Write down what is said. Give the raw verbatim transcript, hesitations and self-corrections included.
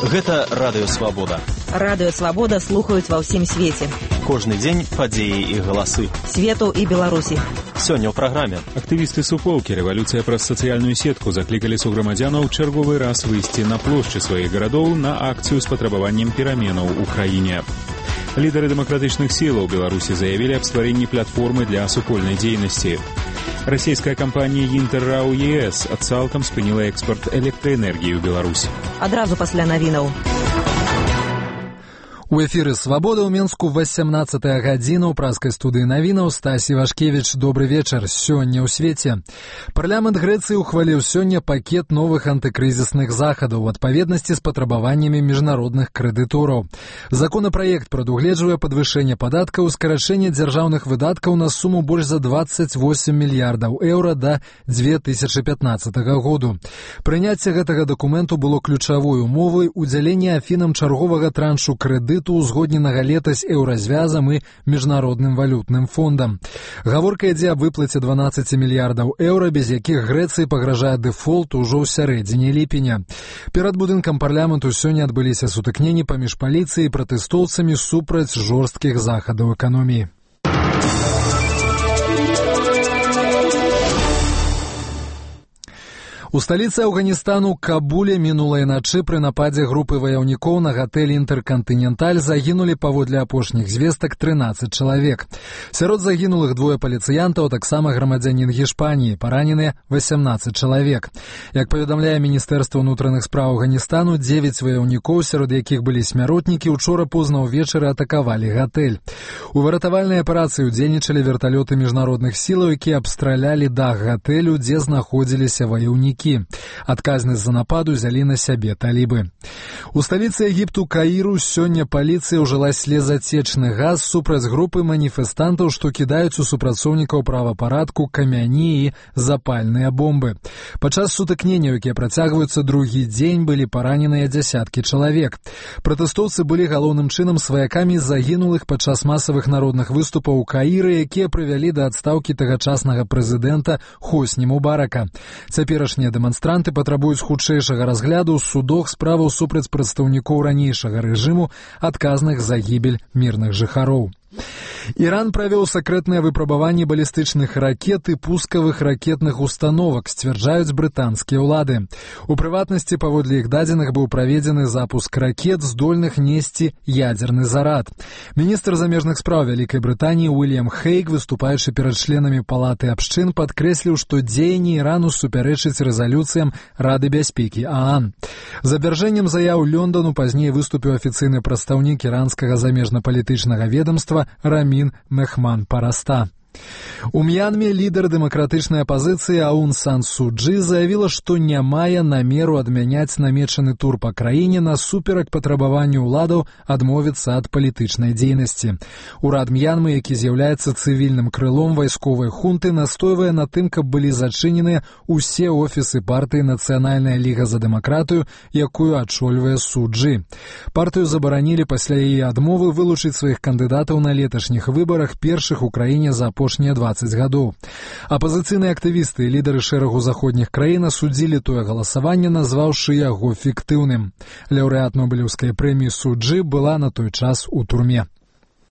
Гэта Радыё Свабода. Радыё Свабода слухаюць ва ўсім свеце. Кожны дзень падзеі і галасы свету і Беларусі. Сёння ў праграме. Актывісты суполкі «Рэвалюцыя праз сацыяльную сетку» заклікалі суграмадзянаў чарговы раз выйсці на плошчы сваіх гарадоў на акцыю з патрабаваннем пераменаў у краіне. Лідары дэмакратычных сілаў Беларусі заявілі аб стварэнні платформы для супольнай дзейнасці. Расійская кампанія «Інтэррау ЕС» цалкам спыніла экспорт электраэнергіі ў Беларусь. Адразу пасля навінаў. У эфіры «Свабода» ў Менску васямнаццатая гадзіна ў праскай студыі навінаў. Стасі Вашкевіч, добры вечар. Сёння ў свеце. Парламент Грэцыі ухваліў сёння пакет новых антыкрызісных захадаў у адпаведнасці з патрабаваннямі міжнародных крэдытораў. Законапраект прадугледжвае падвышэнне падаткаў, скарачэнне дзяржаўных выдаткаў на суму больш за дваццаць восем мільярдаў еўра да дзве тысячы пятнаццатага году. Прыняцце гэтага дакументу было ключавой умовай удзялення Афінам чарговага траншу крэдыту узгодненага летась еўразвязам і міжнародным валютным фондам. Гаворка ідзе аб выплаце дванаццаць мільярдаў еўра, без якіх Грэцыі пагражае дэфолт ужо ў сярэдзіне ліпеня. Перад будынкам парламенту сёння адбыліся сутыкненні паміж паліцыяй і пратэстоўцамі супраць жорсткіх захадаў эканоміі. У сталіцы Афганістану Кабуле мінулай начы пры нападзе групы ваяўнікоў на гатэль «Інтэркантыненталь» загінулі паводле апошніх звестак трынаццаць чалавек. Сярод загінулых двое паліцыянтаў, таксама грамадзянін Гішпаніі, параненыя васямнаццаць чалавек. Як паведамляе Міністэрства ўнутраных спраў Афганістану, дзевяць ваяўнікоў, сярод якіх былі смяротнікі, учора позна ўвечары атакавалі гатэль. У выратавальнай аперацыі ўдзельнічалі верталёты міжнародных сілаў, якія абстралялі дах гатэлю, дзе знаходзіліся ваяўнікі. Адказнасць за нападу взялі на сябе талібы. У сталіцы Егіпту Каіру сёння паліцыя ўжыла слезацечны газ супраць групы маніфестантаў, што кідаюць у супрацоўнікаў правапарадку камяні і запальныя бомбы. Падчас сутыкненняў, якія працягваюцца другі дзень, былі параненыя дзясяткі чалавек. Пратэстоўцы былі галоўным чынам сваякамі загінулых падчас масавых народных выступаў у Каіры, якія прывялі да адстаўкі тагачаснага прэзідэнта Хосні Мубарака. Цяперашнія дэманстранты патрабуюць хутчэйшага разгляду ў судах справаў супраць прадстаўнікоў ранейшага рэжыму, адказных за гібель мірных жыхароў. Іран правёў сакрэтнае выпрабаванне балістычных ракет і пускавых ракетных установак, сцвярджаюць брытанскія ўлады. У прыватнасці, паводле іх дадзеных, быў праведзены запуск ракет, здольных несці ядзерны зарад. Міністр замежных спраў Вялікай Брытаніі Уільям Хейг, выступаючы перад членамі палаты абшчын, падкрэсліў, што дзеянні Ірану супярэчыць рэзалюцыям Рады бяспекі ААН. За абвяржэннем заяў Лёндану пазней выступіў афіцыйны прадстаўнік іранскага замежна-палітычнага ведомства Рамін Мехман Параста. У М'янме лідар дэмакратычнай апазіцыі Аун Сан Су Чжы заявіла, што не мае намеру адмяняць намечаны тур па краіне насуперак патрабаванню ўладаў адмовіцца ад палітычнай дзейнасці. Урад М'янмы, які з'яўляецца цывільным крылом вайсковай хунты, настойвае на тым, каб былі зачыненыя ўсе офісы партыі «Нацыянальная ліга за дэмакратыю», якую ачольвае Су Чжы. Партыю забаранілі пасля яе адмовы вылучыць сваіх кандыдатаў на леташніх выбарах, першых у краіне за апошнія дваццаць гадоў. Апазіцыйныя актывісты і лідары шэрагу заходніх краін асудзілі тое галасаванне, назваўшы яго фіктыўным. Лаўрэат Нобелеўскай прэміі Су Чжы была на той час у турме.